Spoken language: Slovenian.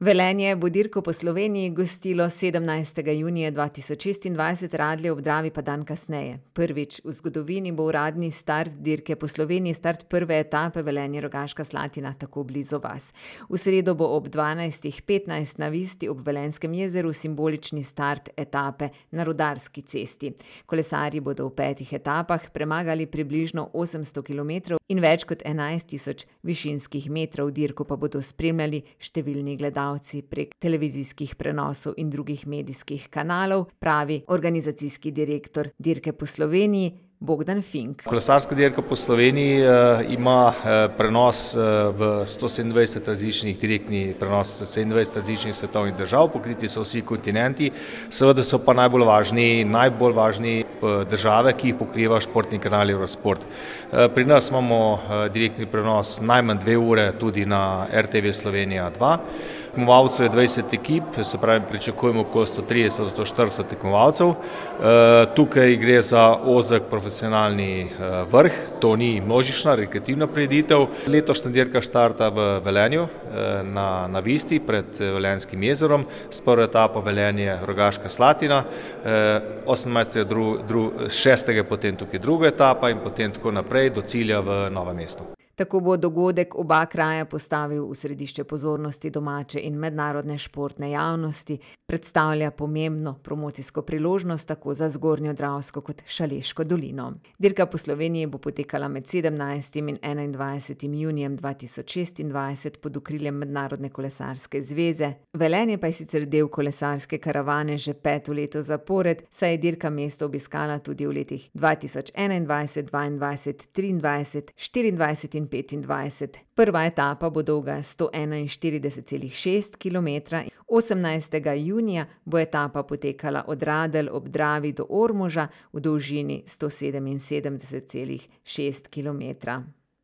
Velenje bo dirko po Sloveniji gostilo 17. junija 2026, Radlje ob Dravi pa dan kasneje. Prvič v zgodovini bo uradni start dirke po Sloveniji, start prve etape Velenje-Rogaška Slatina tako blizu vas. V sredo bo ob 12:15 na Visti ob Velenjskem jezeru simbolični start etape na Rudarski cesti. Kolesarji bodo v 5 etapah premagali približno 800 km in več kot 11.000 višinskih metrov, dirko pa bodo spremljali številni gledalci prek televizijskih prenosov in drugih medijskih kanalov, pravi organizacijski direktor dirke po Sloveniji Bogdan Fink. Kolesarska dirka po Sloveniji ima prenos v 127 različnih direktni prenos 27 različnih svetovnih držav, pokriti so vsi kontinenti, seveda so pa najbolj važni države, ki jih pokriva športni kanal Eurosport. Pri nas imamo direktni prenos najmanj 2 ure tudi na RTV Slovenija 2. Tekmovalcev je 20 ekip, se pravi pričakujemo okoli 130 do 140 tekmovalcev. Tukaj gre za ozek profesionalni vrh, to ni množična, rekreativna prireditev. Letošnja dirka štarta v Velenju na Visti pred Velenjskim jezerom, s prvo etapo Velenje-Rogaška Slatina, 18.6. potem tukaj druga etapa in potem tako naprej do cilja v Novem mestu. Tako bo dogodek oba kraja postavil v središče pozornosti domače in mednarodne športne javnosti, predstavlja pomembno promocijsko priložnost tako za Zgornjo Dravsko kot Šaleško dolino. Dirka po Sloveniji bo potekala med 17. in 21. junijem 2026 pod okriljem Mednarodne kolesarske zveze. Velenje pa je sicer del kolesarske karavane že 5. leto zapored, saj je dirka mesto obiskala tudi v letih 2021, 2022, 2023, 2024 in 2025. Prva etapa bo dolga 141,6 km. 18. junija bo etapa potekala od Radelj ob Dravi do Ormoža v dolžini 177,6 km.